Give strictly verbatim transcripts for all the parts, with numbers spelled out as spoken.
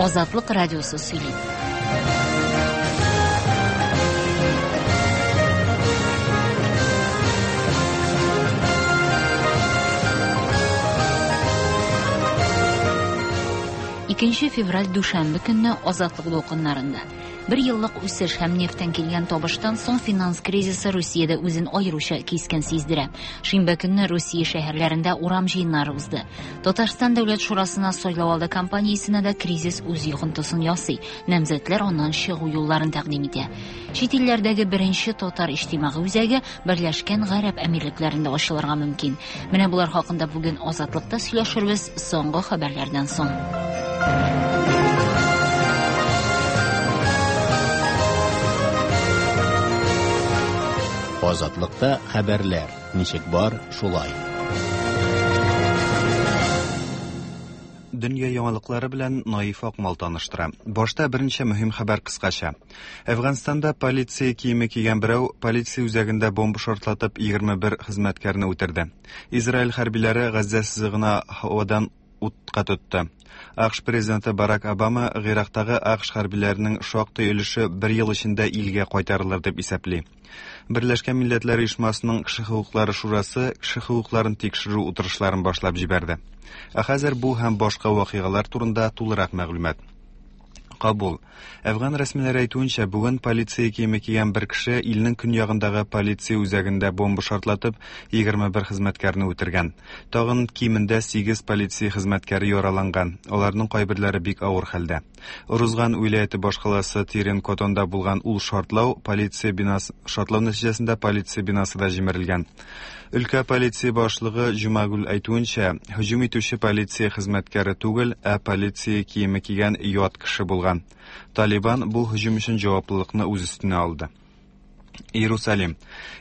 Азатлык радиосы сөйли. Икенче февраль дүшәмбе көнне Азатлык дулкыннарында. Бер еллык үсеш һәм нефтьтән килгән табыштан соң финанс кризисы Русиядә үзен аеруча кискен сиздерә. Шимбә көнне Русия шәһәрләрендә урам җыеннары узды. Татарстан Дәүләт Шурасына сайлау алды кампаниясенә дә кризис үз йогынтысын ясый. Намзәтләр аннан чыгу юлларын тәкъдим итә. Чит илләрдәге беренче татар иҗтимагый үзәге Берләшкән Гарәп Әмирлекләрендә ачылырга мөмкин. Менә булар хакында бүген Азатлыкта сөйләшербез соңгы хәбәрләрдән соң. Азатлыкта хәбәрләр ничек бар, шулай. Дөнья яңалыклары белән Наиф Акмал таныштыра. Башта берничә мөһим хәбәр кыскача. Әфганстанда полиция киеме кигән берәү полиция үзәгендә бомба шартлатып егерме бер хезмәткәрне үтерде. Израиль хәрбиләре Газзә сызыгына һавадан утка тотты. АКШ президенты Барак Обама Гыйрактагы АКШ хәрбиләренең шактый өлеше бер ел эчендә илгә кайтарылыр дип исәпли. Берләшкән Милләтләр Оешмасының Кеше хокуклары шурасы кеше хокукларын тикшерү утырышларын башлап җибәрде. Ә хәзер бу һәм башка вакыйгалар турында тулырак мәгълүмат. Кабул. Әфган рәсмиләре әйтүенчә, бүген полиция киеме кигән бер кеше илнең көньягындагы полиция үзәгендә бомба шартлатып, егерме бер хезмәткәрне үтергән. Тагын кимендә сигез полиция хезмәткәре яраланган. Аларның кайберләре бик авыр хәлдә. Урузган вилаяте башкаласы Тирен-Котонда булган ул шартлау полиция бинасы шартлау нәтиҗәсендә полиция бинасы да җимерелгән. Өлкә полиция башлыгы Җумагул әйтүенчә, һөҗүм итүче полиция хезмәткәре түгел, ә полиция киеме кигән ят кеше булган. Талибан бу һөҗүм өчен җаваплылыкны үз өстенә алды. Иерусалим.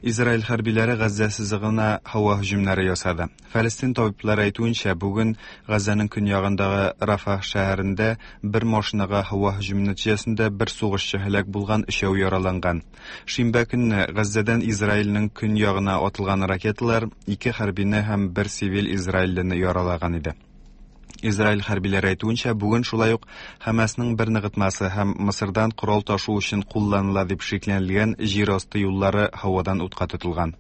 Израиль хәрбиләре Газзә сызыгына һава һөҗүмнәре ясады. Фәлестин табиблары әйтүенчә, бүген Газзәнең көньягындагы Рафах шәһәрендә бер машинага һава һөҗүме нәтиҗәсендә бер сугышчы һәлак булган, өчәү яраланган. Шимбә көнне Газзәдән Израильнең көньягына атылган ракеталар ике хәрбине һәм бер цивиль израильлене яралаган иде. Израиль хәрбиләре әйтүенчә, бүген шулай ук Хәмәснең бер ныгытмасы һәм Мысырдан корал ташу өчен кулланыла дип шикләнелгән җир асты юллары һавадан утка тотылган.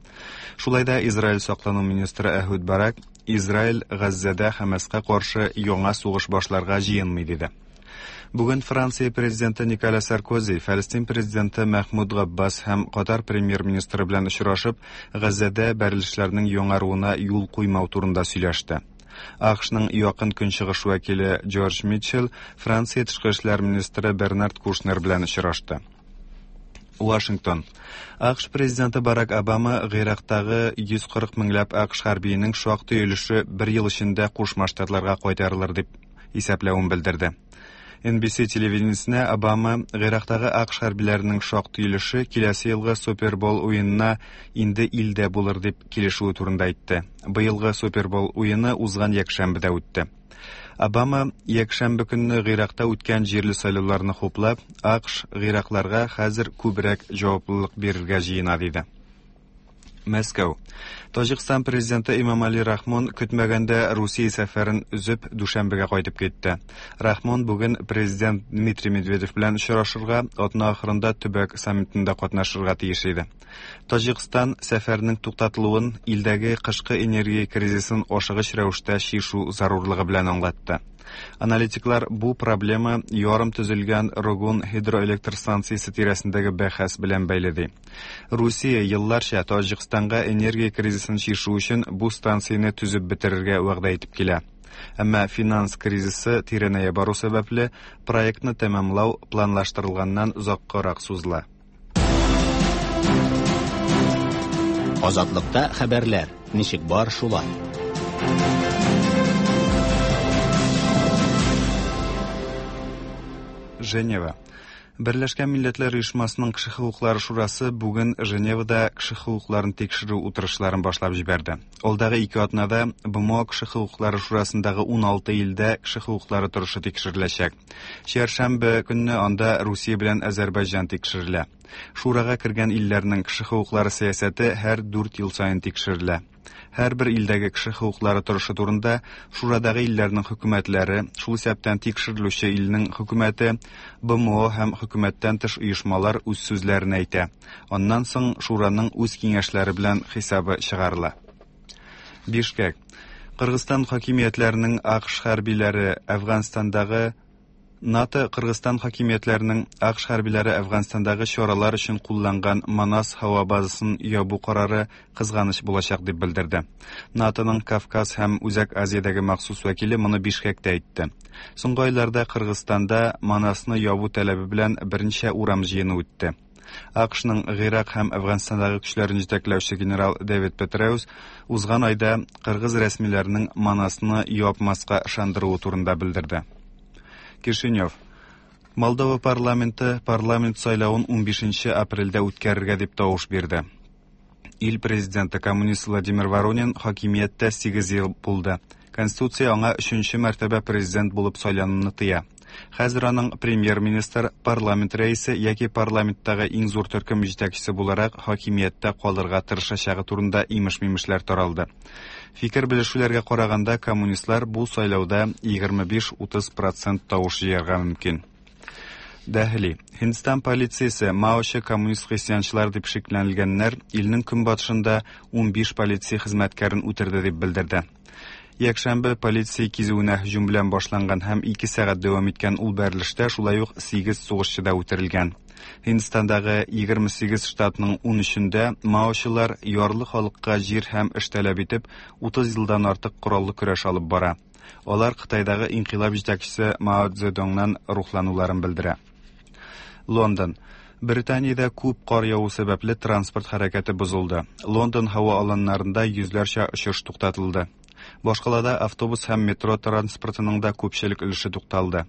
Шулай да Израиль саклану министры Әһүд Барак Израиль Газзәдә Хәмәскә каршы яңа сугыш башларга җыенмый диде. Бүген Франция президенты Николя Саркози, Фәлестин президенты Мәхмүд Габбас һәм Катар премьер-министры белән очрашып, Газзәдә бәрелешләрнең яңаруына юл куймау турында сөйләште. АКШның якын көнчыгыш вәкиле Джордж Митчелл Франция тышкы эшләр министры Бернард Кушнер белән очрашты. Вашингтон. АКШ президенты Барак Обама Гыйрактагы йөз кырык меңләп АКШ хәрбиенең шактый өлеше бер ел эчендә Кушма Штатларга кайтарылыр дип исәпләвен белдерде. Эн Би Си телевидениесенә Обама Гыйрактагы АКШ хәрбиләренең шактый өлеше киләсе елгы Супербол уенына инде илдә булыр дип килешүе турында әйтте. Быелгы Супербол уены узган якшәмбедә үтте. Обама якшәмбе көнне Гыйракта үткән җирле сайлауларны хуплап, АКШ Гыйракларга хәзер күбрәк җаваплылык бирергә җыена диде. Мәскәү. Таҗикстан президенты Имамали Рахмон көтмәгәндә Русия сәфәрен өзеп Дүшәмбегә кайтып китте. Рахмон бүген президент Дмитрий Медведев белән очрашырга, атна ахырында төбәк саммитында катнашырга тиеш иде. Таҗикстан сәфәренең туктатылуын илдәге кышкы энергия кризисын ашыгыч рәвештә чишү зарурлыгы белән аңлатты. Аналитиклар бу проблема ярым төзелгән Рогун гидроэлектр станциясе тирәсендәге бәхәс белән бәйле ди. Русия елларча Таҗикстанга энергия кризисын чишү өчен бу станцияне төзеп бетерергә вәгъдә итеп килә. Әмма финанс кризисы тирәнәя бару сәбәпле проектны тәмамлау планлаштырылганнан озаккарак сузыла. Азатлыкта хәбәрләр ничек бар шулай. Женева. Берләшкән Милләтләр Оешмасының Кеше хокуклары шурасы бүген Женевада кеше хокукларын тикшерү утырышларын башлап җибәрде. Алдагы ике атнада БМО Кеше хокуклары шурасындагы ун алты илдә кеше хокуклары торышы тикшереләчәк. Чәршәмбе көнне анда Русия белән Азәрбайҗан тикшерелә. Шурага кергән илләрнең кеше хокуклары сәясәте һәр дүрт ел саен тикшерелә. Һәрбер илдәге кеше хокуклары торышы турында Шурадагы илләрнең хөкүмәтләре, шул исәптән тикшерелүче илнең хөкүмәте, Б М О һәм хөкүмәттән тыш оешмалар үз сүзләрен әйтә. Аннан соң Шураның үз киңәшләре белән хисабы чыгарыла. Бишкек. Кыргызстан хакимиятләренең А К Ш хәрбиләре Әфганстандагы НАТО Кыргызстан хакимиятләренең А К Ш хәрбиләре Әфганстандагы чаралар өчен кулланган Манас һава базасын ябу карары кызганыч булачак дип белдерде. НАТОның Кавказ һәм Үзәк Азиядәге махсус вәкиле моны Бишкектә әйтте. Соңгы айларда Кыргызстанда Манасны ябу таләбе белән берничә урам җыены үтте. А К Шның Гыйрак һәм Әфганстандагы көчләрен җитәкләүче генерал Дэвид Петреус узган айда кыргыз рәсмиләренең Манасны япмаска ышандыруы турында белдерде. Кишинев. Молдова парламенты парламент сайлавын унбишенче апрельдә үткәрергә дип тавыш бирде. Ил президенты коммунист Владимир Воронин хакимияттә сигез ел булды. Конституция аңа өченче мәртәбә президент булып сайлануны тыя. Хәзер аның премьер-министр, парламент рәисе яки парламенттагы иң зур төркем җитәкчесе буларак хакимияттә калырга тырышачагы турында имеш-мимешләр таралды. Фикер белешүләргә караганда, коммунистлар бу сайлауда егерме биш-утыз процент тавыш җыярга мөмкин. Дәһли. Һиндстан полициясе маочы коммунист христианчылар дип шикләнелгәннәр илнең көнбатышында унбиш полиция хезмәткәрен үтерде дип белдерде. Якшәмбе полиция кизүенә һөҗүм белән башланган һәм ике сәгать дәвам иткән ул бәрелештә шулай ук сигез сугышчы да үтерелгән. Һиндстандагы егерме сигез штатның ун өчендә маочылар ярлы халыкка җир һәм эш таләп итеп утыз елдан артык кораллы көрәш алып бара. Алар Кытайдагы инкыйлаб җитәкчесе Мао Цзэдуннан рухлануларын белдерә. Лондон. Британиядә күп кар яву сәбәпле транспорт хәрәкәте бозылды. Лондон һава аланнарында йөзләрчә очыш туктатылды. Башкалада автобус һәм метро транспортының да күпчелек өлеше тукталды.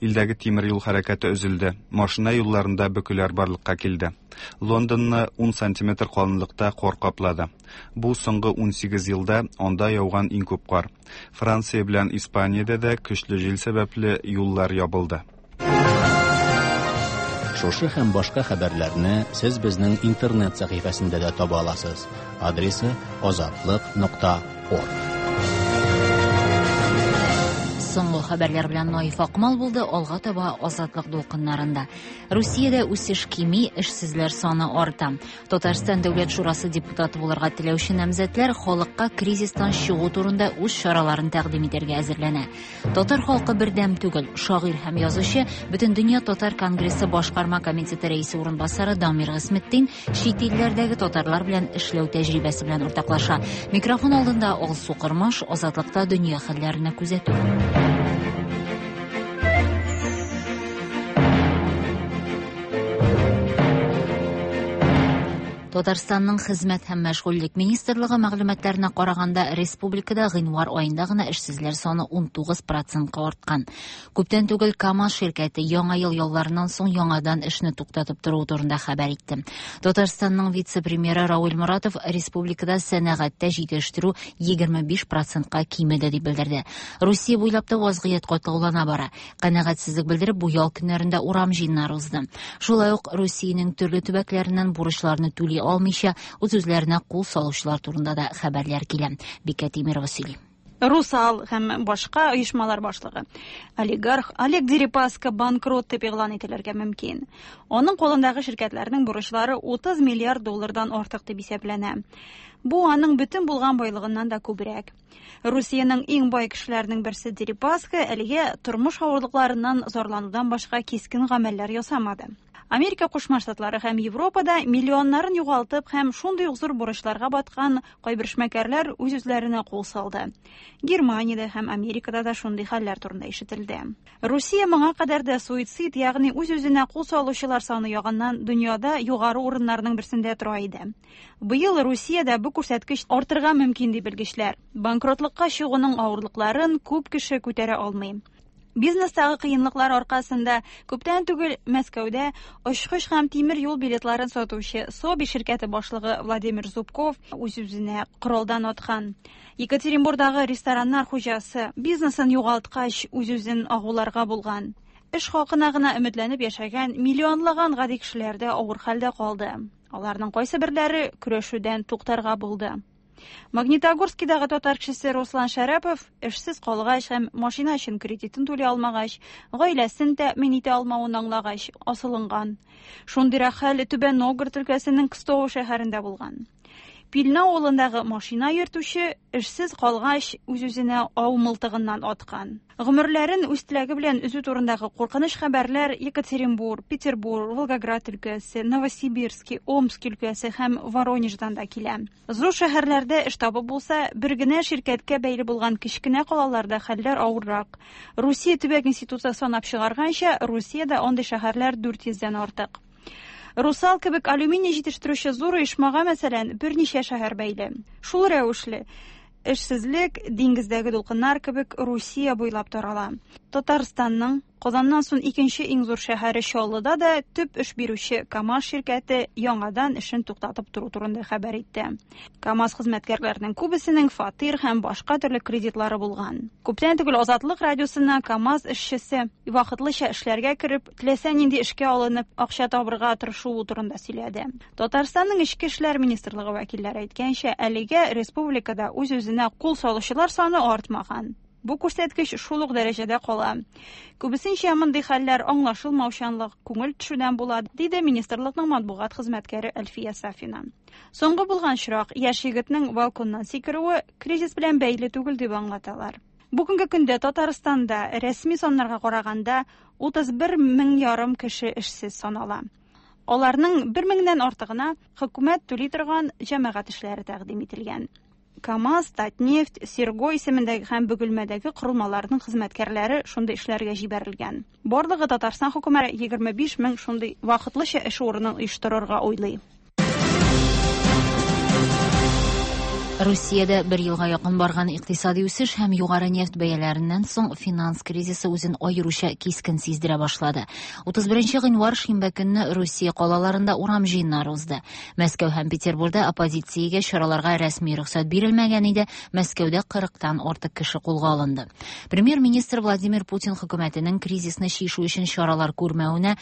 Илдәге тимер юл хәрәкәте өзелде. Машина юлларында бөкеләр барлыкка килде. Лондонны ун сантиметр калынлыкта кар каплады. Бу соңгы ун сигез елда анда яуган иң күп кар. Франция белән Испаниядә дә көчле җил сәбәпле юллар ябылды. Шушы һәм башка хәбәрләрне сез безнең интернет сәхифәсендә дә таба аласыз. Адресы азатлык нокта орг. Соңгы хәбәрләр белән Наиф Акмал булды, алга таба Азатлык дулкыннарында. Русиядә үсеш кими, эшсезләр саны арта. Татарстан Дәүләт Шурасы депутаты булырга теләүче намзәтләр халыкка кризистан чыгу турында үз чараларын тәкъдим итәргә әзерләнә. Татар халкы бердәм түгел. Шагыйрь һәм язучы, Бөтендөнья татар конгрессы башкарма комитеты рәисе урынбасары Дамир Гыйсметдин чит илләрдәге татарлар белән эшләү тәҗрибәсе белән уртаклаша. Микрофон алдында Алсу Кырмаш, Азатлыкта дөнья хәлләренә күзәтү. Татарстанның Хезмәт һәм мәшгульлек министрлыгы мәгълүматларына караганда, республикада гыйнвар аенда гына эшсезләр саны ун тугыз процентка арткан. Күптән түгел КАМАЗ ширкәте яңа ел ялларыннан соң яңадан эшне туктатып торуы турында хәбәр итте. Татарстанның вице-премьеры Рауль Моратов республикада сәнәгатьтә җитештерү егерме биш процентка кимеде дип белдерде. Русия буйлап та вазгыять катлаулана бара. Канәгатьсезлек белдереп, бу ял көннәрендә урам җыеннары узды. Шулай ук Русиянең төрле төбәкләреннән бурычларны түли алмыйча үз-үзләренә кул салучылар турында да хәбәрләр килә. Бикә Тимирова сөйли. Русал һәм башка оешмалар башлыгы олигарх Олег Дерипаска банкрот дип игълан ителергә мөмкин. Аның кулындагы ширкәтләрнең бурычлары утыз миллиард доллардан артык дип исәпләнә. Бу аның бөтен булган байлыгыннан да күбрәк. Русиянең иң бай кешеләренең берсе Дерипаска әлегә тормыш авырлыкларыннан зарланудан башка кискен гамәлләр ясамады. Америка Кушма Штатлары һәм Европада миллионнарын югалтып һәм шундый ук зур бурычларга баткан кайбер эшмәкәрләр үз-үзләренә кул салды. Германиядә һәм Америкада да шундый хәлләр турында ишетелде. Русия моңа кадәр дә суицид, ягъни үз-үзенә кул салучылар саны ягыннан дөньяда югары урыннарның берсендә тора иде. Быел Русиядә бу күрсәткеч артырга мөмкин ди белгечләр. Банкротлыкка чыгуның авырлыкларын күп кеше күтәрә алмый. Бизнестагы кыенлыклар аркасында күптән түгел Мәскәүдә очкыч һәм тимер юл билетларын сатучы Соби ширкәте башлыгы Владимир Зубков үз-үзенә коралдан аткан. Екатеринбургдагы рестораннар хуҗасы бизнесын югалткач үз-үзен агуларга булган. Эш хакына гына өметләнеп яшәгән миллионлаган гади кешеләр дә авыр хәлдә калды. Аларның кайсы берләре көрәшүдән туктарга булды. Магнитогорскидагы татар кешесе Руслан Шәрәпов эшсез калгач һәм машина өчен кредитын түли алмагач, гаиләсен тәэмин итә алмавын аңлагач, асылынган. Шундыйрак хәл Түбән Новгород өлкәсенең Кстово шәһәрендә булган. Пильна авылындагы машина йөртүче эшсез калгач үз-үзенә ау мылтыгыннан аткан. Гомерләрен үз теләге белән өзү турындагы куркыныч хәбәрләр Екатеринбург, Петербург, Волгоград өлкәсе, Новосибирский, Омск өлкәсе һәм Воронеждан да килә. Зур шәһәрләрдә эш табып булса, бер генә ширкәткә бәйле булган кечкенә калаларда хәлләр авыррак. Русия төбәк институты санап чыгарганча, Русиядә андый шәһәрләр дүрт йөздән артык. Русал кебек алюминий җитештерүче зур оешмага, мәсәлән, берничә шәһәр бәйле. Шул рәвешле эшсезлек диңгездәге дулкыннар кебек Русия буйлап тарала. Татарстанның Казаннан соң икенче иң зур шәһәре Чаллыда да төп эш бирүче КАМАЗ ширкәте яңадан эшен туктатып тору турында хәбәр итте. КАМАЗ хезмәткәрләренең күбесенең фатир һәм башка төрле кредитлары булган. Күптән түгел Азатлык радиосына КАМАЗ эшчесе вакытлыча эшләргә кереп, теләсә нинди эшкә алынып, акча табырга тырышуы турында сөйләде. Татарстанның Эчке эшләр министрлыгы вәкилләре әйткәнчә, әлегә республикада үз-үзенә кул салучылар саны артмаган. Бу күрсәткеч шул ук дәрәҗәдә кала. Күбесенчә мондый хәлләр аңлашылмаучанлык, күңел төшүдән була, диде министрлыкның матбугат хезмәткәре Әлфия Сафина. Соңгы булган очрак яшь егетнең балконнан сикерүе кризис белән бәйле түгел дип аңлаталар. Бүгенге көндә Татарстанда рәсми саннарга караганда утыз бер мең ярым кеше эшсез санала. Аларның бер меңнән артыгына хөкүмәт түли торган җәмәгать эшләре тәкъдим ителгән. КАМАЗ, Татнефть, Серго исемендәге һәм Бөгелмәдәге корылмаларның хезмәткәрләре шундый эшләргә җибәрелгән. Барлыгы Татарстан хөкүмәте егерме биш мең шундый вакытлыча эш урынын оештырырга уйлый. Русиядә бер елга якын барган икътисади үсеш һәм югары нефть бәяләреннән соң финанс кризисы үзен аеруча кискен сиздерә башлады. утыз беренче гыйнвар шимбә көнне Русия калаларында урам җыеннары узды. Мәскәү һәм Петербургда оппозициягә чараларга рәсми рөхсәт бирелмәгән иде. Мәскәүдә кырыктан артык кеше кулга алынды. Премьер-министр Владимир Путин хөкүмәтенең кризисны чишү өчен чаралар күрмәвенә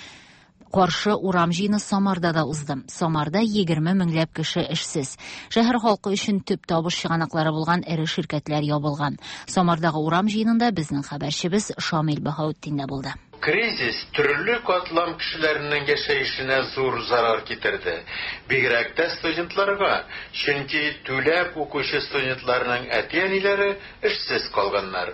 каршы урам җыены Самарда да узды. Самарда егерме меңләп кеше эшсез. Шәһәр халкы өчен төп табыш чыганаклары булган эре ширкәтләр ябылган. Самардагы урам җыенында безнең хәбәрчебез Шамил Баһаутдин дә булды. Кризис төрле катлам кешеләренең яшәешенә зур зарар китерде. Бигрәк тә студентларга, чөнки түләп укучы студентларның әти-әниләре эшсез калганнар.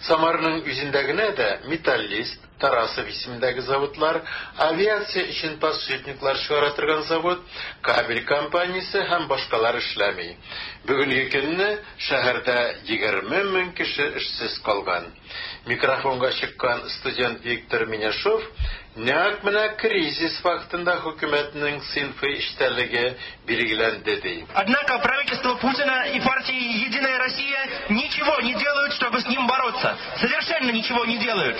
Самарның үзендә генә дә Металлист, Тарасов исемендәге заводлар, авиация өчен подшипниклар чыгара торган завод, кабель компаниясе һәм башкалар эшләми. Бүгенге көнне шәһәрдә егерме мең кеше эшсез калган. Микрофонга чыккан студент Виктор Миняшов нәкъ менә кризис вакытында хөкүмәтнең сыйнфый эчтәлеге билгеләнде ди. Однако правительство Путина и партии Единая Россия ничего не делают, чтобы с ним бороться. Совершенно ничего не делают.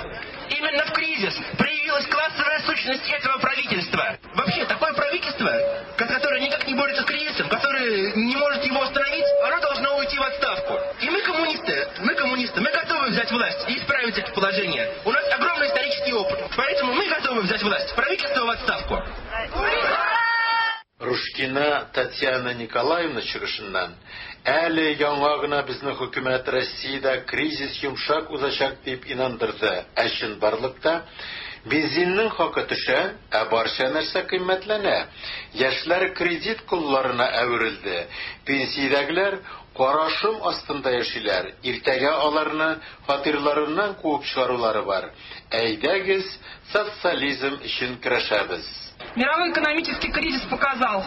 Именно в кризис проявилась классовая сущность этого правительства. Вообще, такое правительство, которое никак не борется с кризисом, которое не может его остановить, оно должно уйти в отставку. И мы коммунисты, мы коммунисты, мы готовы взять власть и исправить это положение. У нас огромный исторический опыт, поэтому мы готовы взять власть. Правительство в отставку. Рушкина Татьяна Николаевна чыгышыннан әле яңа гына безнең хөкүмәт Россиядә кризис йомшак узачак дип инандырды. Ә чынбарлыкта бензинның хакы төшә, ә барча нәрсә кыйммәтләнә. Яшьләр кредит колларына әверелде. Пенсиядәгеләр кара шом астында яшиләр. Иртәгә аларны фатирларыннан куып чыгарулары бар. Әйдәгез, социализм өчен көрәшәбез. Мировой экономический кризис показал,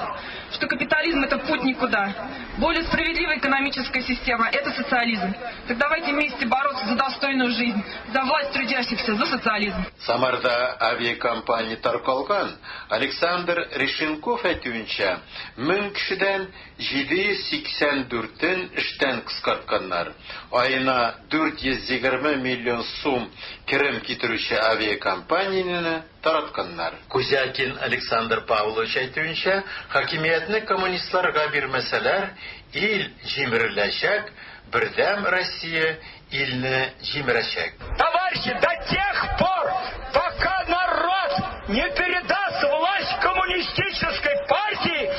что капитализм – это путь никуда. Более справедливая экономическая система – это социализм. Так давайте вместе бороться за достойную жизнь, за власть трудящихся, за социализм. Самарда авиакомпания таркалган Александр Решенков әйтүенчә, мең кешедән җиде йөз сиксән дүртен эштән кыскартканнар. Аена дүрт йөз егерме миллион сум керем китерүче авиакомпанияне таратканнар. Кузякин Александр Павлович әйтүенчә, хакимиятне коммунистларга бирмәсәләр, ил җимереләчәк, Бердәм Россия илне җимерәчәк. Товарищи, до тех пор, пока народ не передаст власть коммунистической партии,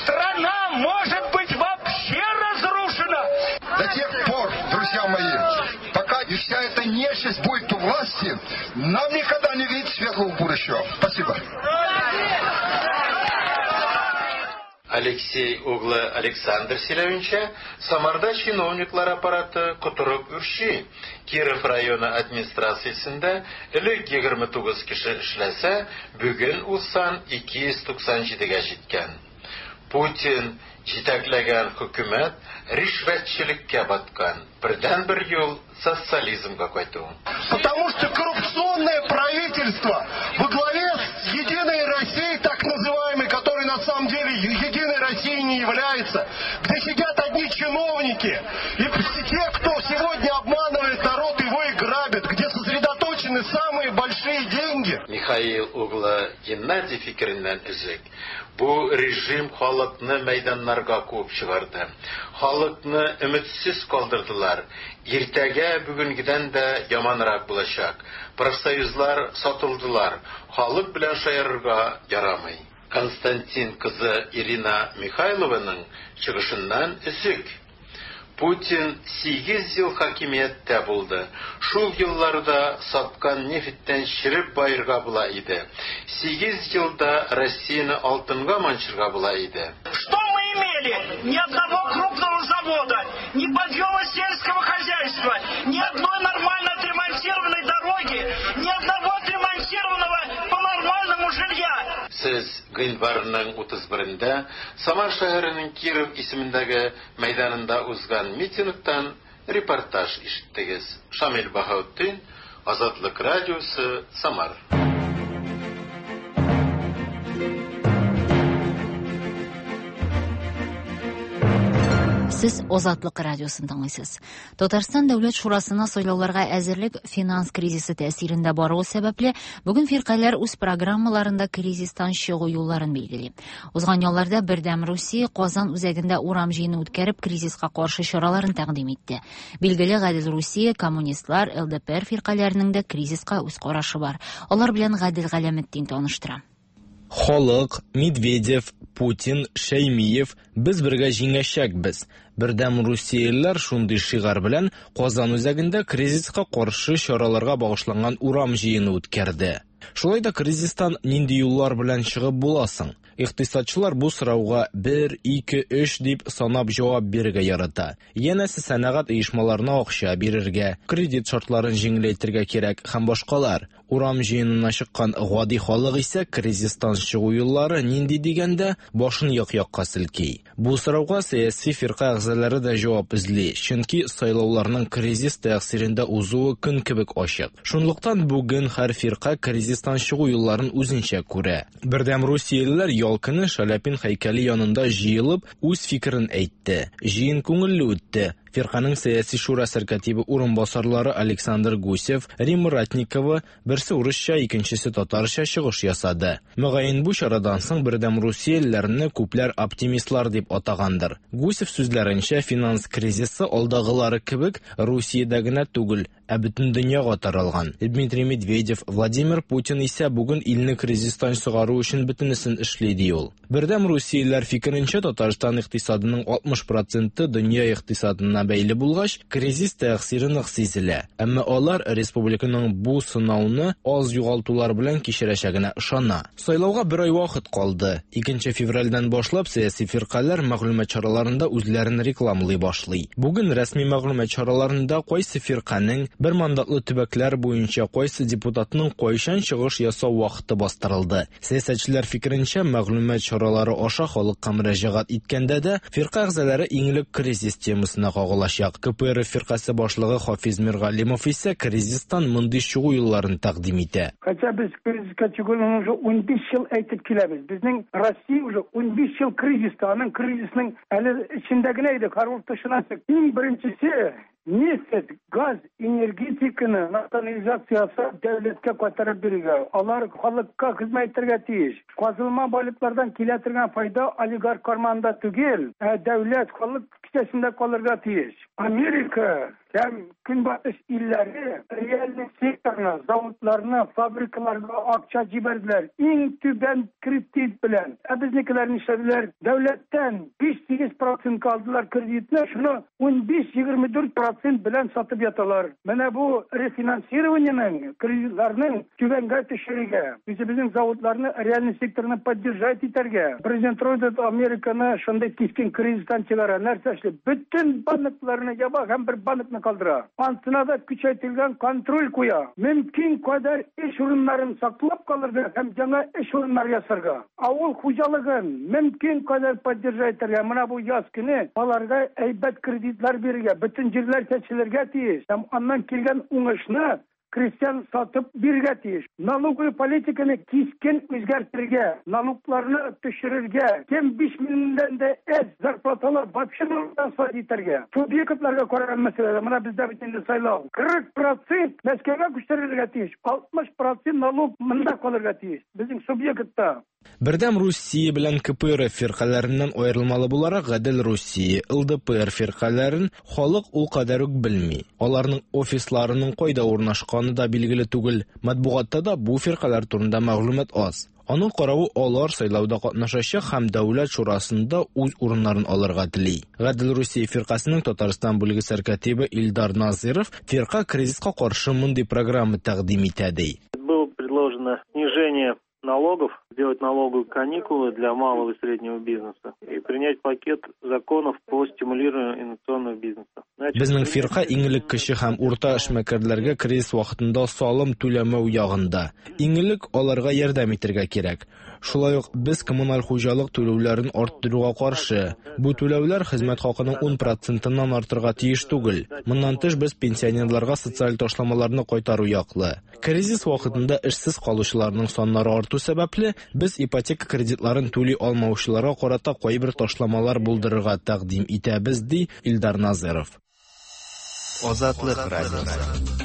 страна может быть вообще разрушена. нечисть будет у власти, нам никогда не видеть светлого будущего. Спасибо. Алексей углы Александр сөйләвенчә, Самарда чиновниклар аппараты котырып үрчи. Киров районы администрациясендә элек егерме тугыз кеше эшләсә, бүген ул сан ике йөз туксан җидегә җиткән. Путин җитәкләгән хөкүмәт ришвәтчелеккә баткан. Бердәнбер юл социализмга кайту. Потому что коррупционное правительство во главе с Единой Россией, так называемой, которой на самом деле Единой Россией не является, где сидят одни чиновники и те, кто сегодня обманывает народ, его и грабят, где сосредоточены самые большие деньги. Михаил углы Геннадий фикереннән өзек. Бу режим халыкны мәйданнарга куып чыгарды. Халыкны өметсез калдырдылар. Иртәгә бүгенгедән дә яманрак булачак. Профсоюзлар сатылдылар. Халык белән шаярырга ярамый. Константин кызы Ирина Михайлованың чыгышыннан өзек. Путин сигез ел хакимияттә булды. Шул елларда саткан нефтьтән череп баерга була иде. Сигез елда Россияне алтынга манчырга була иде. Что мы имели? Ни одного крупного завода, ни подъема сельского хозяйства, ни одной нормально отремонтированной дороги, ни одного отремонтированного по-нормальному жилья. Сез гыйнварның утыз берендә Самар шәһәренең Киров исемендәге мәйданында узган митингтан репортаж ишеттегез. Шамил Баһаутдин, Азатлык радиосы, Самар. Сез Азатлык радиосын тыңлыйсыз. Татарстан Дәүләт Шурасына сайлауларга әзерлек финанс кризисы тәэсирендә баруы сәбәпле, бүген фиркаләр үз программаларында кризистан чыгу юлларын билгели. Узган ялларда Бердәм Русия Казан үзәгендә урам җыены үткәреп, кризиска каршы чараларын тәкъдим итте. Билгеле, Гадел Русия, коммунистлар, Л Д П Р фиркаләренең дә кризиска үз карашы бар. Алар белән Гадел Галәметдин таныштыра. Халык, Медведев, Путин, Шәймиев, без бергә җиңәчәкбез. Бердәм Русиялеләр шундый шигарь белән Казан үзәгендә кризиска каршы чараларга багышланган урам җыены үткәрде. Шулай да кризистан нинди юллар белән чыгып буласың? Икътисадчылар бу сорауга бер, ике, өч дип санап җавап бирергә ярата. Янәсе сәнәгать оешмаларына акча бирергә, кредит шартларын җиңеләйтергә кирәк һәм башкалар. Урам җыенына чыккан гади халык исә кризистан чыгу юллары нинди дигәндә башын як-якка селки. Бу сорауга сәяси фирка әгъзалары да җавап эзли, чөнки сайлауларның кризис тәэсирендә узуы көн кебек ачык. Шунлыктан бүген һәр фирка кризистан чыгу юлларын үзенчә күрә. Бердәм Русиялеләр ял көне Шаляпин һәйкәле янында җыелып үз фикерен әйтте. Җыен күңелле үтте. Фирканың сәяси шура сәркатибе урынбасарлары Александр Гусев, Римма Ратникова берсе урысча, икенчесе татарча чыгыш ясады. Мөгаен бу чарадан соң Бердәм Русиялеләрне күпләр оптимистлар дип атагандыр. Гусев сүзләренчә, финанс кризисы алдагылары кебек Русиядә генә түгел, ә бөтен дөньяга таралган. Дмитрий Медведев, Владимир Путин исә бүген илне кризистан чыгару өчен бөтенесен эшли ди ул. Бердәм Русиялеләр фикеренчә, Татарстан икътисадының алтмыш проценты дөнья икътисадына бәйле булгач, кризис тәэсире нык сизелә. Әмма алар республиканың бу сынауны аз югалтулар белән кичерәчәгенә ышана. Сайлауга бер ай вакыт калды. Икенче февральдән башлап сәяси фиркаләр мәгълүмат чараларында үзләрен рекламалый башлый. Бүген рәсми мәгълүмат чараларында кайсы фирканең бер мандатлы төбәкләр буенча кайсы депутатның кайчан чыгыш ясау вакыты бастырылды. Сәясәтчеләр фикеренчә, мәгълүмат чаралары аша халыкка мөрәҗәгать иткәндә дә фирка әгъзалары иң элек кризис темасына кагылачак. К П Р фиркасы башлыгы Хафиз Миргалимов исә кризистан мондый чыгу юлларын тәкъдим итә. Хотя без кризиска чыгуны уже унбиш ел әйтеп киләбез. Безнең Россия уже унбиш ел кризиста, аның кризисның әле эчендә генә иде, хәрб тышына чык. Иң беренчесе нефть, газ, энергетиканы национализациясы дәүләткә кайтарып бирергә. Алар халыкка хезмәт итәргә тиеш. Казылма байлыклардан килә торган файда олигарх карманында түгел, ә дәүләт халык Кесәсендә калырга тиеш. Америка һәм Көнбатыш илләре реальный секторына, заводларына, фабрикаларга акча җибәрделәр. Иң түбән кредит белән. Ә безнекеләр нишләделәр? Дәүләттән биш-сигез процентка алдылар кредитны, шуны ун биш-егерме дүрт процент белән сатып яталар. Менә бу рефинансированиеның, кредитларның түбәнгә төшерергә, үзебезнең заводларны, реальный секторны поддержать итәргә. Президент Рузвельт Американы шундый кискен кризистан чыгара. Нәрсә эшли? Бөтен банкларны яба һәм бер банкны калдыра. Ансына да көчәйтелгән контроль куя. Мөмкин кадәр эш урыннарын саклап калырга һәм яңа эш урыннары ясарга. Авыл хуҗалыгын мөмкин кадәр поддержать итәргә. Менә бу яз көне аларга әйбәт кредитлар бирергә, бөтен җирләр чәчелергә тиеш. Һәм аннан килгән уңышны крестьян сатып бирергә тиеш. Налоговый политиканы кискен үзгәртергә, налогларны төшерергә, кем биш меңнән дә әз зарплаталар вообще налогтан сат итәргә. Субъектларга караган мәсьәләдә, менә бездә бит инде сайлау. Кырык процент Мәскәүгә күчерелергә тиеш, алтмыш процент налог монда калырга тиеш. Безнең субъектта. Бердәм Русия белән К П Р Ф фиркаләреннән аерылмалы буларак Гадел Русия, Л Д П Р фиркаләрен халык ул кадәр үк белми. Аларның офисларының кайда урнашканы да билгеле түгел. Матбугатта да бу фиркаләр турында мәгълүмат аз. Аның каравы алар сайлауда катнашачак һәм Дәүләт шурасында үз урыннарын алырга тели. Гадел Русия фиркасының Татарстан бүлеге сәркатибе Илдар Назиров фирка кризиска каршы мондый программа тәкъдим итә ди. Было предложено снижение налогов, сделать налоговые каникулы для малого и среднего бизнеса и принять пакет законов по стимулированию инновационного бизнеса. Значит, Безнең фирка иң элек кече һәм урта эшмәкәрләргә кризис вакытында салым түләмәү ягында. Иң элек аларга ярдәм итәргә кирәк. Шулай ук без коммуналь хуҗалык түләүләрен арттыруга каршы. Бу түләүләр хезмәт хакының ун процентыннан артырга тиеш түгел. Моннан тыш без пенсионерларга социаль ташламаларны кайтару яклы. Кризис вакытында эшсез калучыларның саннары арту сәбәпле, без ипотека кредитларын түли алмаучыларга карата кайбер ташламалар булдырырга тәкъдим итәбез, ди Илдар Назиров. Азатлык радиосы.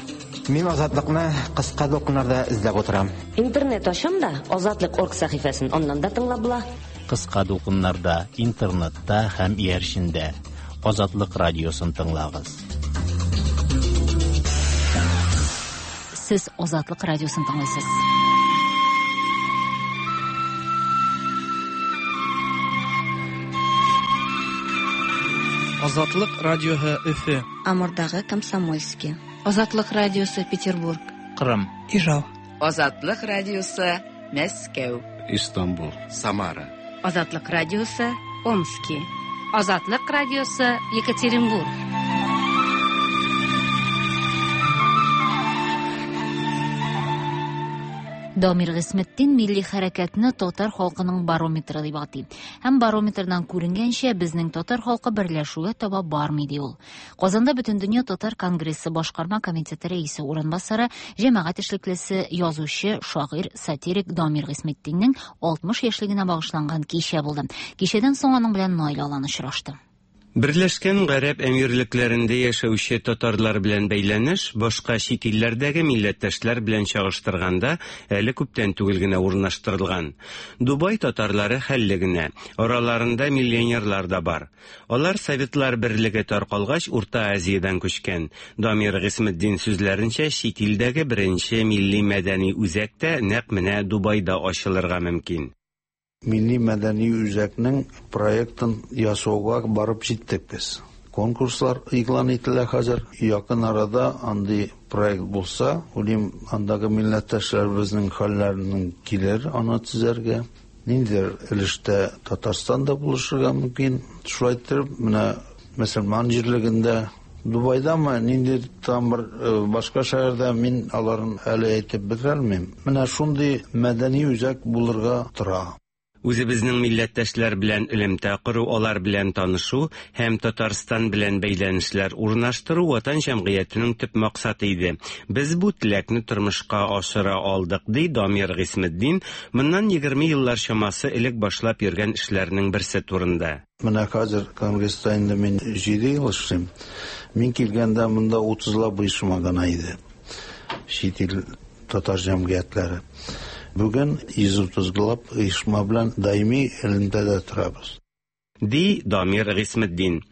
Мин Азатлыкны кыска дулкыннарда эзләп утырам. Интернет ачам да Азатлык орг сәхифәсен аннан да тыңлап була. Кыска дулкыннарда, интернетта һәм иярчендә Азатлык радиосын тыңлагыз. Сез Азатлык радиосын тыңлыйсыз. Азатлык радиосы Өфө. Амурдагы Комсомольский. Азатлык радиосы Петербург. Кырым. Ижау. Азатлык радиосы Мәскәү. Истанбул. Самара. Азатлык радиосы Омски. Азатлык радиосы Екатеринбург. Дамир Гыйсметдин милли хәрәкәтне татар халкының барометры дип атый. Һәм барометрдан күренгәнчә, безнең татар халкы берләшүгә таба бармый ди ул. Казанда Бөтендөнья татар конгрессы башкарма комитеты рәисе урынбасары, җәмәгать эшлеклесе, язучы, шагыйрь, сатирик Дамир Гыйсметдиннең алтмыш яшьлегенә багышланган кичә булды. Кичәдән соң аның белән Наил Алан очрашты. Берләшкән Гарәп Әмирлекләрендә яшәүче татарлар белән бәйләнеш башка чит илләрдәге милләттәшләр белән чагыштырганда әле күптән түгел генә урнаштырылган. Дубай татарлары хәлле генә, араларында миллионерлар да бар. Алар Советлар Берлеге таркалгач Урта Азиядән күчкән. Дамир Гыйсметдин сүзләренчә, чит илдәге беренче милли мәдәни үзәк тә нәкъ менә Дубайда ачылырга мөмкин. Милли мәдәни үзәкнең проектын ясауга барып җиттек без. Конкурслар игълан ителә хәзер. Якын арада андый проект булса, уйлыйм, андагы милләттәшләребезнең хәлләренең килер аны төзәргә. Ниндидер өлештә Татарстан да булышырга мөмкин. Шулай итеп, менә мөселман җирлегендә Дубайдамы, нинди там бер башка шәһәрдә мин аларын әле әйтеп бетерә алмыйм. Менә шундый мәдәни үзәк булырга тора. Үзебезнең милләттәшләр белән элемтә кору, алар белән танышу һәм Татарстан белән бәйләнешләр урнаштыру ватан җәмгыятенең төп максаты иде. Без бу теләкне тормышка ашыра алдык, ди Дамир Гыйсметдин, моннан егерме еллар чамасы элек башлап йөргән эшләрнең берсе турында. Менә хәзер конгресста инде мин җиде ел эшлим. Мин килгәндә монда утызлап оешма гына иде. Чит ил татар җәмгыятьләре. Бүген йөз утызлап оешма белән даими элемтәдә торабыз. Ди Дамир Гыйсметдин.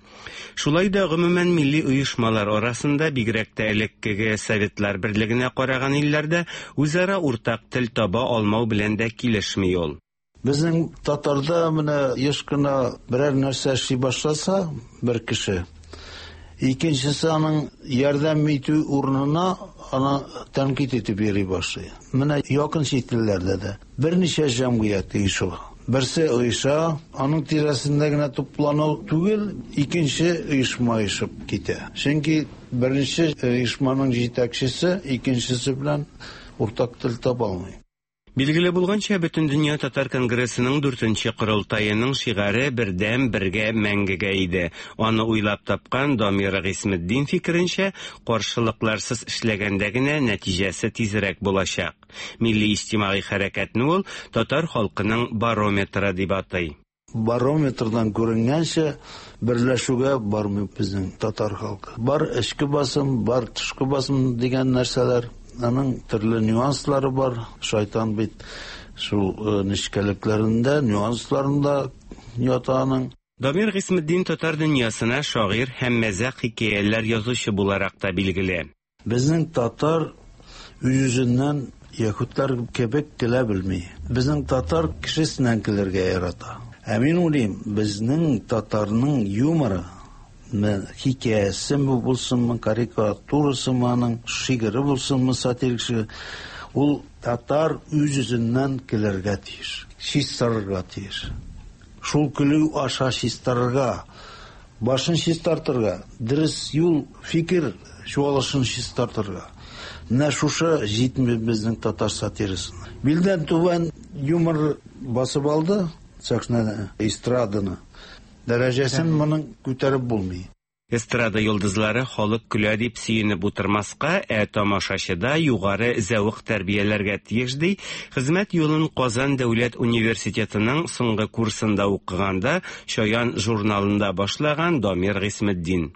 Шулай да гомумән милли оешмалар арасында, бигрәк тә элеккеге Советлар Берлегенә караган илләрдә үзара уртак тел таба алмау белән дә килешми ул. Безнең татарда менә еш кына берәр нәрсә эшли башласа бер кеше, икенчесе аның ярдәм итү урынына аны тәнкыйть итеп йөри башлый. Менә якын чит илләрдә дә берничә җәмгыять оеша. Берсе оеша, аның тирәсендә генә туплану түгел, икенче оешма оешып китә. Чөнки беренче оешманың җитәкчесе икенчесе белән уртак тел таба алмый. Билгеле булганча, Бөтендөнья татар конгрессының дүртенче корылтаеның шигаре бердәм, бергә, мәңгегә иде. Аны уйлап тапкан Дамир Гыйсметдин фикеренчә, каршылыкларсыз эшләгәндә генә нәтиҗәсе тизрәк булачак. Милли иҗтимагый хәрәкәтне ул татар халкының барометры дип атый. Барометрдан күренгәнчә, берләшүгә бармый безнең татар халкы. Бар эчке басым, бар тышкы басым дигән нәрсәләр. Аның төрле нюанслары бар. Шайтан бит шул нечкәлекләрендә, нюансларында ята аның. Дамир Гыйсметдин татар дөньясына шагыйрь һәм мәзәк хикәяләр язучы буларак та билгеле. Безнең татар үз-үзеннән яһүдләр кебек көлә белми. Безнең татар кешесеннән көләргә ярата. Ә мин уйлыйм, безнең татарның юморы, хикәясеме булсынмы, карикатурасымы аның, шигыре булсынмы, сатирик шигыре, ул татар үз-үзеннән көләргә тиеш, чистарырга тиеш. Шул көлү аша чистарырга, башын чистартырга, дөрес юл, фикер чуалышын чистартырга. Менә шушы җитми безнең татар сатирасына. Билдән түбән юмор басып алды сәхнәне, эстраданы. Дәрәҗәсен моның күтәреп булмый. Эстрада йолдызлары халык көлә дип сөенеп утырмаска, ә тамашачыда югары зәвык тәрбияләргә тиеш ди. Хезмәт юлын Казан дәүләт университетының соңгы курсында укыганда Чаян журналында башлаган Дамир Гыйсметдин.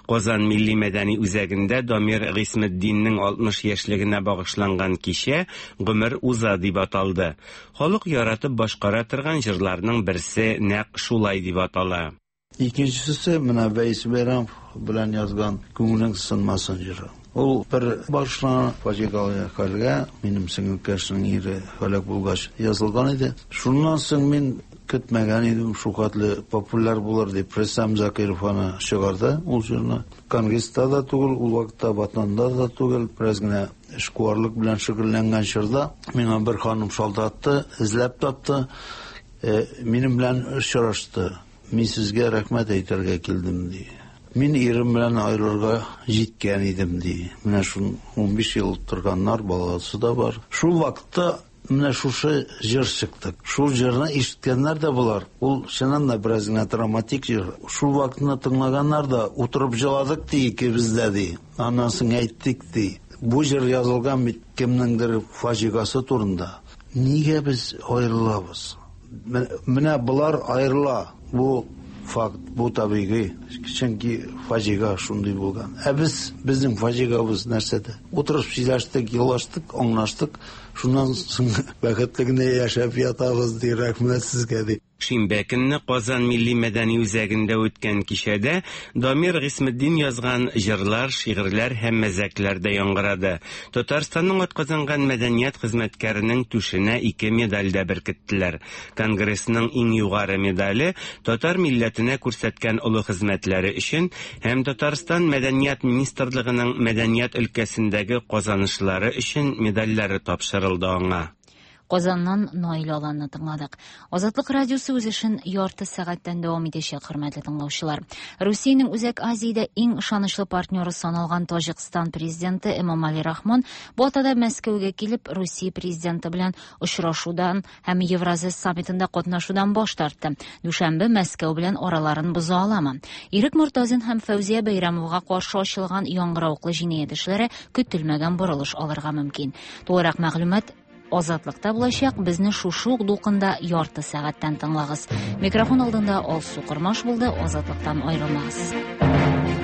Казан милли мәдәни үзәгендә Дамир Гыйсметдиннең алтмыш яшьлегенә багышланган кичә Гомер уза дип аталды. Халык яратып башкара торган җырларның берсе нәкъ шулай дип атала. Икенчесе менә Вәйс Бәйрәмов белән язган Күңелең сынмасын җыры. Ул бер башлана фаҗигале хәлгә, минем сеңелкәшнең ире һәлак булгач язылган иде. Шуннан соң мин көтмәгән идем, шул хәтле популяр булыр дип. Рөстәм Закиров аны чыгарды ул җырны. Конгресста да түгел, ул вакытта Ватанда да түгел, бераз генә эшкуарлык белән шөгыльләнгән чорда миңа бер ханым шалтыратты, эзләп тапты, минем белән очрашты. Мин сезгә рәхмәт әйтергә килдем, ди. Мин ирем белән аерылырга җиткән идем, ди. Менә шул унбиш ел торганнар, баласы да бар. Шул вакытта менә шушы җыр чыкты. Шул җырны ишеткәннәр дә булар. Ул чыннан да бераз гына драматик җыр. Шул вакытны тыңлаганнар да утырып җыладык ди икебез дә, ди. Аннан соң әйттек, ди. Бу җыр язылган бит кемнеңдер фаҗигасы турында. Нигә без аерылабыз? Менә болар аерыла. Бу факт, бу табигый. Чөнки фаҗига шундый булган. Ә без, безнең фаҗигабыз нәрсәдә? Утырып сөйләштек, елаштык, аңлаштык. Шуннан соң бәхетле генә яшәп ятабыз, ди, рәхмәт сезгә, ди. Шимбә көнне Казан милли мәдәни үзәгендә үткән кичәдә Дамир Гыйсметдин язган җырлар, шигырьләр һәм мәзәкләр дә яңгырады. Татарстанның атказанган мәдәният хезмәткәренең түшенә ике медаль дә беркеттеләр. Конгрессның иң югары медале татар милләтенә күрсәткән олы хезмәтләре өчен һәм Татарстан мәдәният министрлыгының мәдәният өлкәсендәге казанышлары өчен медальләре тапшырылды аңа. Казаннан Наил Аланны тыңладык. Азатлык радиосы үз эшен ярты сәгатьтән дәвам итәчәк, хөрмәтле тыңлаучылар. Русиянең Үзәк Азиядә иң ышанычлы партнеры саналган Таҗикстан президенты Эмомали Рахмон бу атада Мәскәүгә килеп, Русия президенты белән очрашудан һәм Евразия саммитында катнашудан баш тартты. Дүшәмбе Мәскәү белән араларын боза аламы? Ирек Мортазин һәм Фәүзия Бәйрәмовага каршы ачылган яңгыравыклы җинаять эшләре көтелмәгән борылыш алырга мөмкин. Тулырак мәгълүмат Азатлыкта булачак. Безне шушы ук дулкында ярты сәгатьтән тыңлагыз. Микрофон алдында Алсу Кормаш булды. Азатлыктан аерылмагыз.